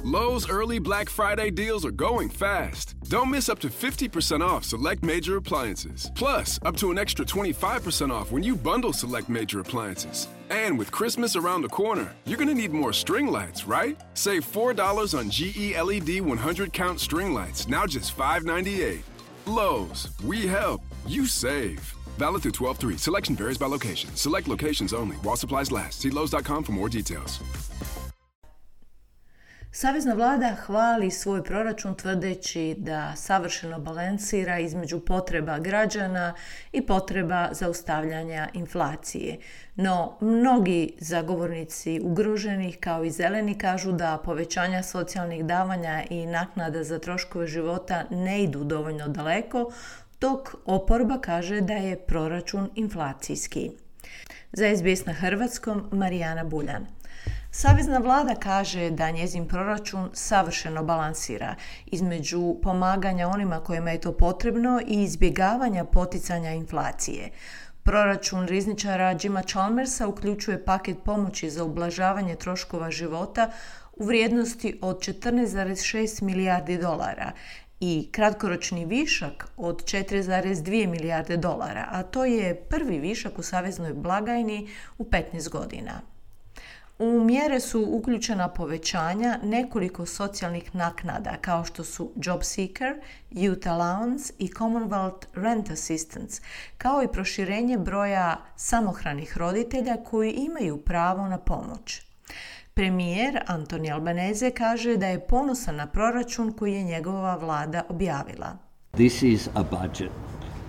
Lowe's early Black Friday deals are going fast. Don't miss up to 50% off select major appliances. Plus, up to an extra 25% off when you bundle select major appliances. And with Christmas around the corner, you're going to need more string lights, right? Save $4 on GE LED 100 count string lights, now just $5.98. Lowe's, we help, you save. Valid through 12/3. Selection varies by location. Select locations only. While supplies last. See Lowe's.com for more details. Savezna vlada hvali svoj proračun tvrdeći da savršeno balansira između potreba građana i potreba zaustavljanja inflacije. No, mnogi zagovornici ugroženih kao i zeleni kažu da povećanja socijalnih davanja i naknada za troškove života ne idu dovoljno daleko, dok oporba kaže da je proračun inflacijski. Za SBS na hrvatskom, Marijana Buljan. Savezna vlada kaže da njezin proračun savršeno balansira između pomaganja onima kojima je to potrebno i izbjegavanja poticanja inflacije. Proračun rizničara Jima Chalmersa uključuje paket pomoći za ublažavanje troškova života u vrijednosti od 14,6 milijardi dolara i kratkoročni višak od 4,2 milijarde dolara, a to je prvi višak u saveznoj blagajni u 15 godina. U mjere su uključena povećanja nekoliko socijalnih naknada kao što su Job Seeker, Youth Allowance i Commonwealth Rent Assistance, kao i proširenje broja samohranih roditelja koji imaju pravo na pomoć. Premijer Anthony Albanese kaže da je ponosan na proračun koji je njegova vlada objavila. This is a budget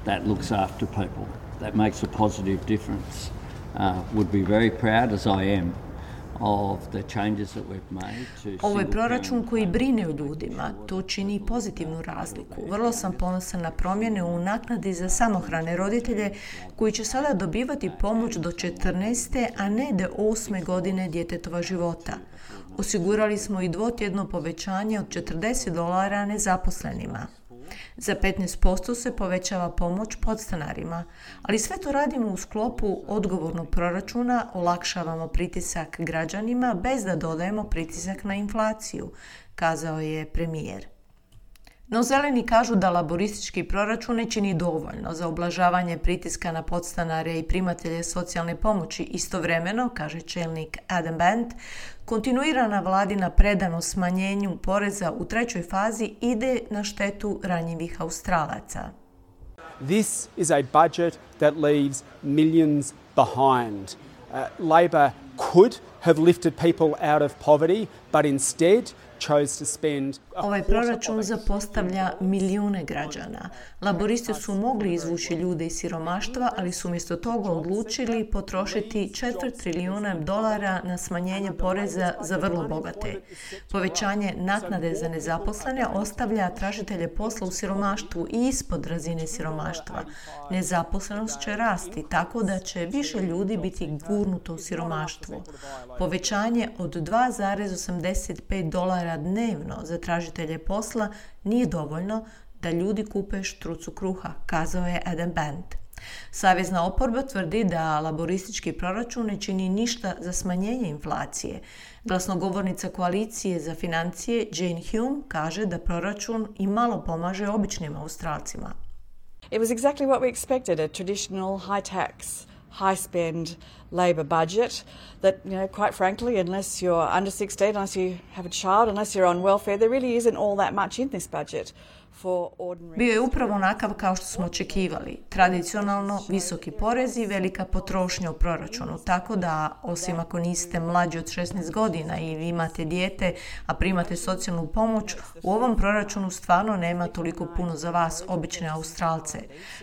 that looks after people, that makes a positive difference. Would be very proud, as I am, of the changes that we've made to... Ovo je proračun koji brine o ljudima, to čini pozitivnu razliku. Vrlo sam ponosan na promjene u naknadi za samohrane roditelje koji će sada dobivati pomoć do 14. a ne do 8. godine djetetova života. Osigurali smo i dvotjedno povećanje od $40 nezaposlenima. Za 15% se povećava pomoć podstanarima, ali sve to radimo u sklopu odgovornog proračuna, olakšavamo pritisak građanima bez da dodajemo pritisak na inflaciju, kazao je premijer. No zeleni kažu da laboristički proračun ne čini dovoljno za ublažavanje pritiska na podstanare i primatelje socijalne pomoći. Istovremeno, kaže čelnik Adam Bent, kontinuirana vladina predanost smanjenju poreza u trećoj fazi ide na štetu ranjivih Australaca. This is a budget that leaves millions behind. Labor could have lifted people out of poverty, but instead chose to spend... Ovaj proračun zapostavlja milijune građana. Laboristi su mogli izvući ljude iz siromaštva, ali su umjesto toga odlučili potrošiti $4 trilijuna na smanjenje poreza za vrlo bogate. Povećanje naknade za nezaposlene ostavlja tražitelje posla u siromaštvu i ispod razine siromaštva. Nezaposlenost će rasti tako da će više ljudi gurnuto u siromaštvo. Povećanje od $2,85 dnevno za tražitelje posla nije dovoljno da ljudi kupe štrucu kruha, kazao je Adam Bent. Savezna oporba tvrdi da laboristički proračun ne čini ništa za smanjenje inflacije. Glasnogovornica koalicije za financije Jane Hume kaže da proračun i malo pomaže običnim Australcima. It was exactly what we expected, a traditional high tax, high spend Labor budget that, quite frankly, unless you're under 16, unless you have a child, unless you're on welfare, there really isn't all that much in this budget. Bio je upravo onakav kao što smo očekivali. Tradicionalno visoki porezi i velika potrošnja u proračunu, tako da, osim ako niste mlađi od 16 godina ili imate dijete, a primate socijalnu pomoć, u ovom proračunu stvarno nema toliko puno za vas, obične Australce.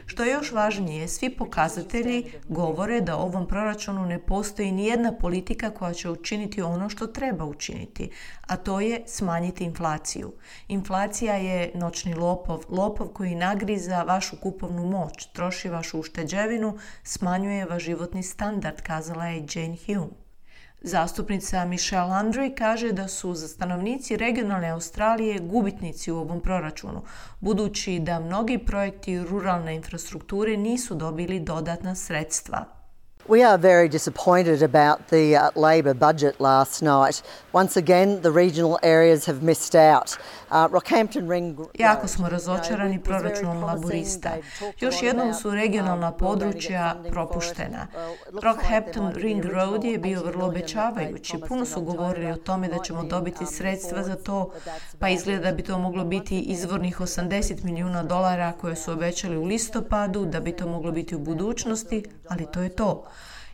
Što je još važnije, svi pokazatelji govore da u ovom proračunu ne postoji nijedna politika koja će učiniti ono što treba učiniti, a to je smanjiti inflaciju. Inflacija je noćni lopov koji nagriza vašu kupovnu moć, troši vašu ušteđevinu, smanjuje vaš životni standard, kazala je Jane Hume. Zastupnica Michelle Landry kaže da su za stanovnici regionalne Australije gubitnici u ovom proračunu, budući da mnogi projekti ruralne infrastrukture nisu dobili dodatna sredstva. We are very disappointed about the Labor budget last night. Once again, the regional areas have missed out. Rockhampton Ring... Jako smo razočarani proračunom laburista. Još jednom su regionalna područja propuštena. Rockhampton Ring Road je bio vrlo obećavajući. Puno su govorili o tome da ćemo dobiti sredstva za to, pa izgleda da bi to moglo biti izvornih $80 milijuna koje su obećali u listopadu, da bi to moglo biti u budućnosti, ali to je to.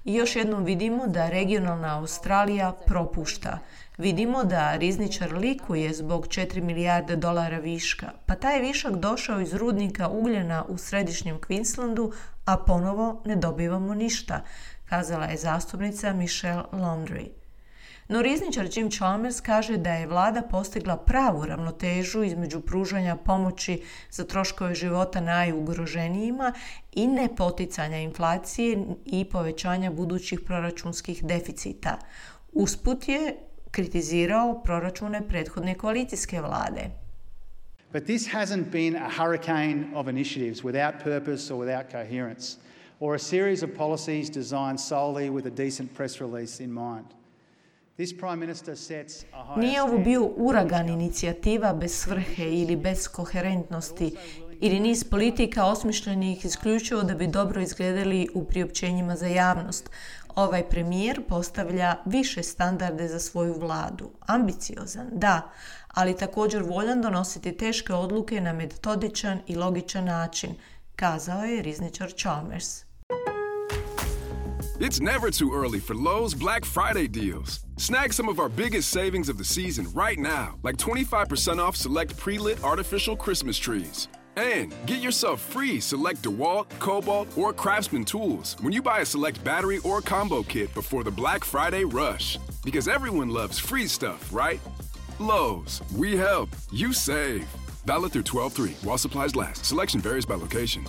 I još jednom vidimo da regionalna Australija propušta. Vidimo da rizničar likuje zbog $4 milijarde viška, pa taj višak došao iz rudnika ugljena u središnjem Queenslandu, a ponovo ne dobivamo ništa, kazala je zastupnica Michelle Laundrie. No rizničar Jim Chalmers kaže da je vlada postigla pravu ravnotežu između pružanja pomoći za troškove života najugroženijima i nepoticanja inflacije i povećanja budućih proračunskih deficita. Usput je kritizirao proračune prethodne koalicijske vlade. But this hasn't been a hurricane of initiatives without purpose or without coherence, or a series of policies designed solely with a decent press release in mind. Nije ovo bio uragan inicijativa bez svrhe ili bez koherentnosti ili niz politika osmišljenih isključivo da bi dobro izgledali u priopćenjima za javnost. Ovaj premijer postavlja više standarde za svoju vladu. Ambiciozan, da, ali također voljan donositi teške odluke na metodičan i logičan način, kazao je rizničar Chalmers. It's never too early for Lowe's Black Friday deals. Snag some of our biggest savings of the season right now, like 25% off select pre-lit artificial Christmas trees. And get yourself free select DeWalt, Cobalt, or Craftsman tools when you buy a select battery or combo kit before the Black Friday rush. Because everyone loves free stuff, right? Lowe's, we help, you save. Valid through 12/3 while supplies last. Selection varies by location.